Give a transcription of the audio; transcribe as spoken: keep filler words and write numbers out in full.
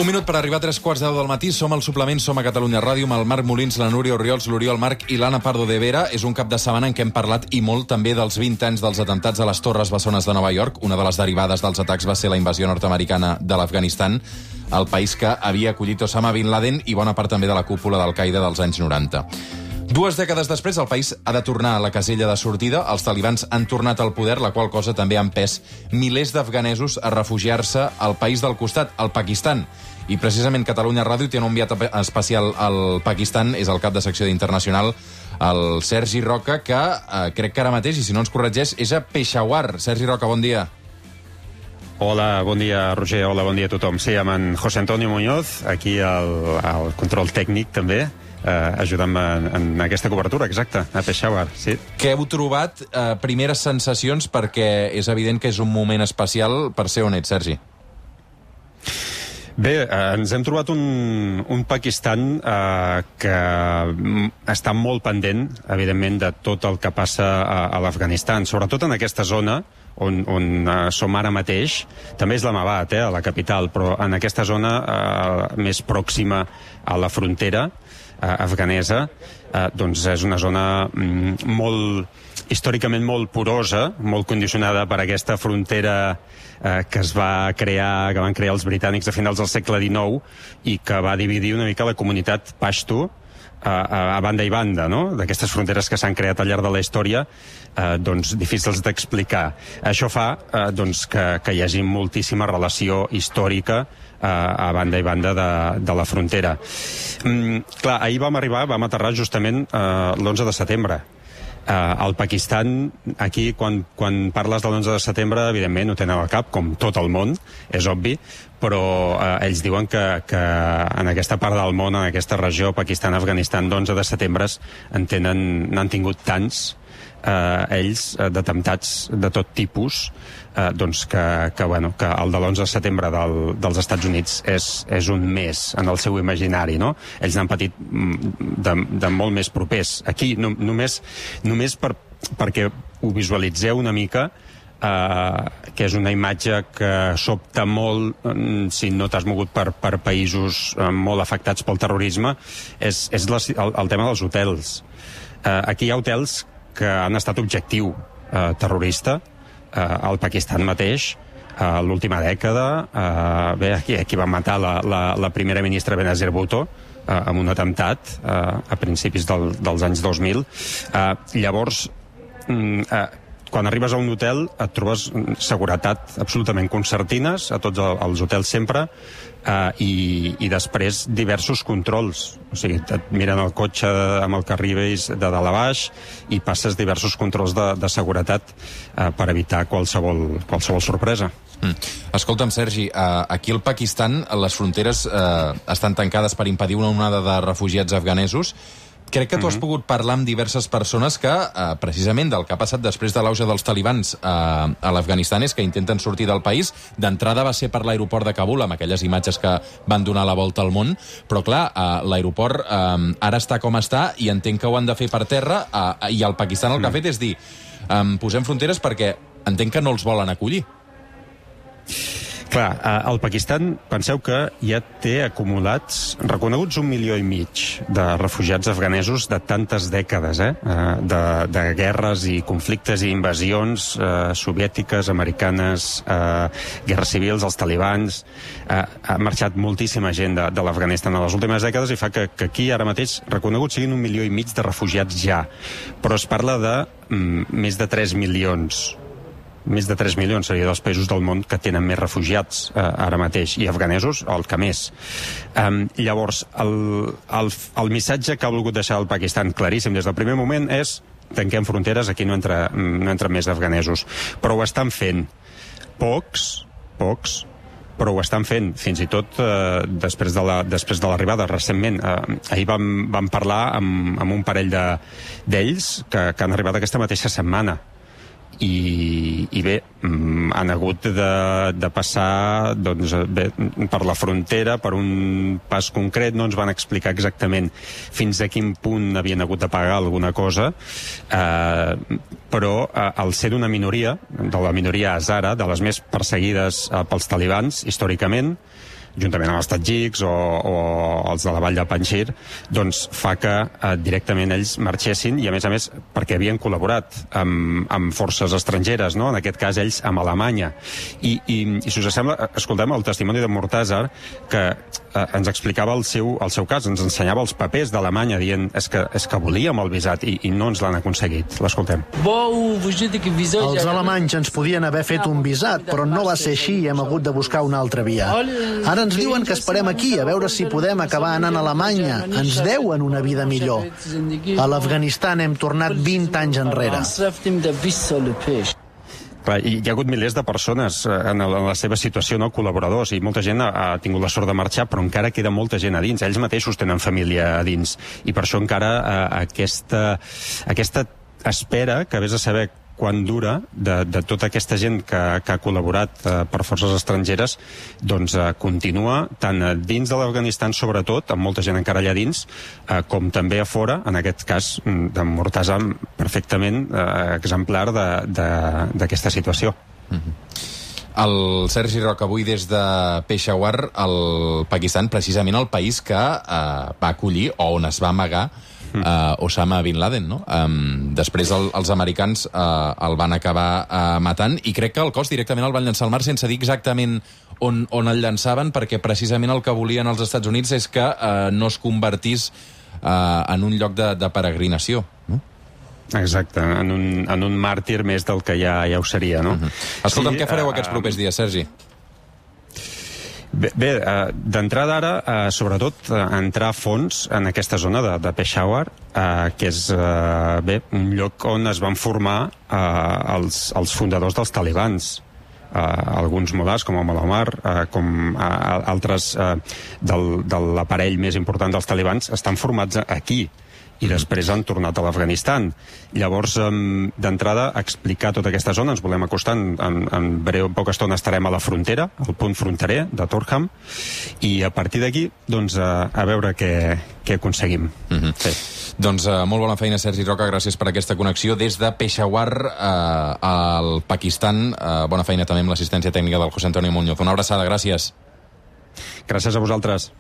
minut per arribar a tres quarts de deu del matí. Som al suplement, som a Catalunya Ràdio, amb el Marc Molins, la Núria Orriols, l'Oriol Marc i l'Anna Pardo de Vera. És un cap de setmana en què hem parlat i molt també dels vint anys dels atemptats a les Torres Bessones de Nova York. Una de les derivades dels atacs va ser la invasió nord-americana de l'Afganistan, el país que havia acollit Osama Bin Laden i bona part també de la cúpula d'Al-Qaeda dels anys noranta. Dues dècades després, el país ha de tornar a la casella de sortida. Els talibans han tornat al poder, la qual cosa també ha empès milers d'afganesos a refugiar-se al país del costat, al Pakistan. I precisament Catalunya Ràdio té un enviat especial al Pakistan, és el cap de secció d'Internacional, el Sergi Roca, que eh, crec que ara mateix, i si no ens corregeix, és a Peshawar. Sergi Roca, bon dia. Hola, bon dia, Roger. Hola, bon dia a tothom. Sí, amb en José Antonio Muñoz, aquí al, al control tècnic, també, eh, ajudant en, en aquesta cobertura, exacte, a Peshawar, sí. Què heu trobat? Eh, primeres sensacions, perquè és evident que és un moment especial per ser on ets, Sergi. Bé, eh, ens hem trobat un, un Pakistan eh, que està molt pendent, evidentment, de tot el que passa a, a l'Afganistan, sobretot en aquesta zona on, on eh, som ara mateix. També Islamabad, eh, a la capital, però en aquesta zona eh, més pròxima a la frontera eh, afganesa, eh, doncs és una zona mm, molt, històricament molt porosa, molt condicionada per aquesta frontera eh, que es va crear, que van crear els britànics a finals del segle dinou i que va dividir una mica la comunitat pashto a, a, a banda i banda, no? D'aquestes fronteres que s'han creat al llarg de la història, eh, doncs difícils d'explicar. Això fa eh, doncs que, que hi hagi moltíssima relació històrica eh, a banda i banda de, de la frontera. Mm, clar, ahir vam arribar, vam aterrar justament eh, l'onze de setembre. Uh, al Pakistan, aquí, quan, quan parles de l'onze de setembre, evidentment ho tenen al cap, com tot el món, és obvi, però uh, ells diuen que, que en aquesta part del món, en aquesta regió, Pakistan, Afganistan, d'onze de setembre, en tenen, n'han tingut tants, uh, ells, uh, d'atemptats de tot tipus, uh, doncs que, que, bueno, que el de l'onze de setembre del, dels Estats Units és, és un més en el seu imaginari, no? Ells n'han patit de, de molt més propers. Aquí, no, només, només per, perquè ho visualitzeu una mica, Uh, que és una imatge que sobta molt um, si no t'has mogut per, per països uh, molt afectats pel terrorisme, és, és la, el, el tema dels hotels. Uh, aquí hi ha hotels que han estat objectiu uh, terrorista uh, al Pakistan mateix, uh, l'última dècada. Uh, bé, aquí, aquí van matar la, la, la primera ministra Benazir Bhutto uh, amb un atemptat uh, a principis del, dels anys dos mil. Uh, llavors, um, uh, quan arribes a un hotel et trobes seguretat absolutament concertines a tots els hotels sempre, eh, i, i després diversos controls. O sigui, et miren el cotxe amb el que arribes de dalt a baix i passes diversos controls de, de seguretat eh, per evitar qualsevol, qualsevol sorpresa. Mm. Escolta'm, Sergi, eh, aquí al Pakistan les fronteres eh, estan tancades per impedir una onada de refugiats afganesos. Crec que tu has pogut parlar amb diverses persones que, eh, precisament del que ha passat després de l'auge dels talibans eh, a l'Afganistan, és que intenten sortir del país. D'entrada va ser per l'aeroport de Kabul, amb aquelles imatges que van donar la volta al món, però clar, eh, l'aeroport eh, ara està com està i entenc que ho han de fer per terra, eh, i el Pakistan el que ha fet és dir, eh, posem fronteres perquè entenc que no els volen acollir. Clar, el Pakistan, penseu que ja té acumulats, reconeguts un milió i mig de refugiats afganesos de tantes dècades, eh? de, de guerres i conflictes i invasions eh, soviètiques, americanes, eh, guerres civils, els talibans. Eh, ha marxat moltíssima gent de, de l'Afganistan a les últimes dècades i fa que, que aquí ara mateix reconeguts siguin un milió i mig de refugiats ja. Però es parla de mm, més de tres milions. Més de tres milions seria dels països del món que tenen més refugiats eh, ara mateix, i afganesos el que més. Um, llavors, el, el, el missatge que ha volgut deixar el Pakistan claríssim des del primer moment és: tanquem fronteres, aquí no entra, no entra més afganesos. Però ho estan fent. Pocs, pocs, però ho estan fent, fins i tot eh, després de la, després de l'arribada, recentment. Eh, ahir vam, vam parlar amb, amb un parell de, d'ells que, que han arribat aquesta mateixa setmana. I, i bé, han hagut de, de passar doncs, bé, per la frontera, per un pas concret. No ens van explicar exactament fins a quin punt havien hagut de pagar alguna cosa, eh, però eh, al ser d'una minoria, de la minoria azara, de les més perseguides eh, pels talibans històricament, juntament amb els tadjiks o, o els de la vall de Panjshir, doncs fa que eh, directament ells marxessin, i a més a més perquè havien col·laborat amb, amb forces estrangeres, no? En aquest cas ells amb Alemanya. I, i, i si us sembla, escoltem el testimoni de Mortazar, que eh, ens explicava el seu, el seu cas, ens ensenyava els papers d'Alemanya dient és que, és que volíem el visat i, i no ens l'han aconseguit. L'escoltem. Els alemanys ens podien haver fet un visat, però no va ser així i hem hagut de buscar una altra via. Ara ens diuen que esperem aquí a veure si podem acabar anant a Alemanya. Ens deuen una vida millor. A l'Afganistan hem tornat vint anys enrere. Clar, hi ha hagut milers de persones en la seva situació, no, col·laboradors, i molta gent ha, ha tingut la sort de marxar, però encara queda molta gent a dins. Ells mateixos tenen família a dins, i per això encara eh, aquesta, aquesta espera, que vés a saber quan dura, de, de tota aquesta gent que, que ha col·laborat eh, per forces estrangeres, doncs eh, continua tant a dins de l'Afganistan, sobretot, amb molta gent encara allà dins, eh, com també a fora, en aquest cas de Mortazar, perfectament eh, exemplar d'aquesta situació. Mm-hmm. El Sergi Roca, avui des de Peshawar, el Pakistan, precisament el país que eh, va acollir, o on es va amagar, Uh, Osama Bin Laden, no? Um, després el, els americans uh, el van acabar uh, matant, i crec que el cos directament el van llançar al mar sense dir exactament on, on el llançaven, perquè precisament el que volien els Estats Units és que uh, no es convertís uh, en un lloc de, de peregrinació, no? Exacte, en un, en un màrtir més del que ja, ja ho seria, no? Uh-huh. Escolta'm, sí, què fareu uh, aquests propers dies, Sergi? Bé, bé uh, d'entrada ara, uh, sobretot, uh, entrar a fons en aquesta zona de, de Peshawar, uh, que és uh, bé, un lloc on es van formar uh, els, els fundadors dels talibans. Uh, alguns mulars, com el Omar, uh, com uh, altres uh, del, de l'aparell més important dels talibans, estan formats aquí, i després han tornat a l'Afganistan. Llavors, um, d'entrada, explicar tota aquesta zona, ens volem acostar, en, en, en breu, en poca estona estarem a la frontera, al punt fronterer de Torkham, i a partir d'aquí, doncs, a, a veure què, què aconseguim. Mm-hmm. Sí. Doncs uh, molt bona feina, Sergi Roca, gràcies per aquesta connexió des de Peshawar uh, al Pakistan. Uh, bona feina també amb l'assistència tècnica del José Antonio Muñoz. Una abraçada, gràcies. Gràcies a vosaltres.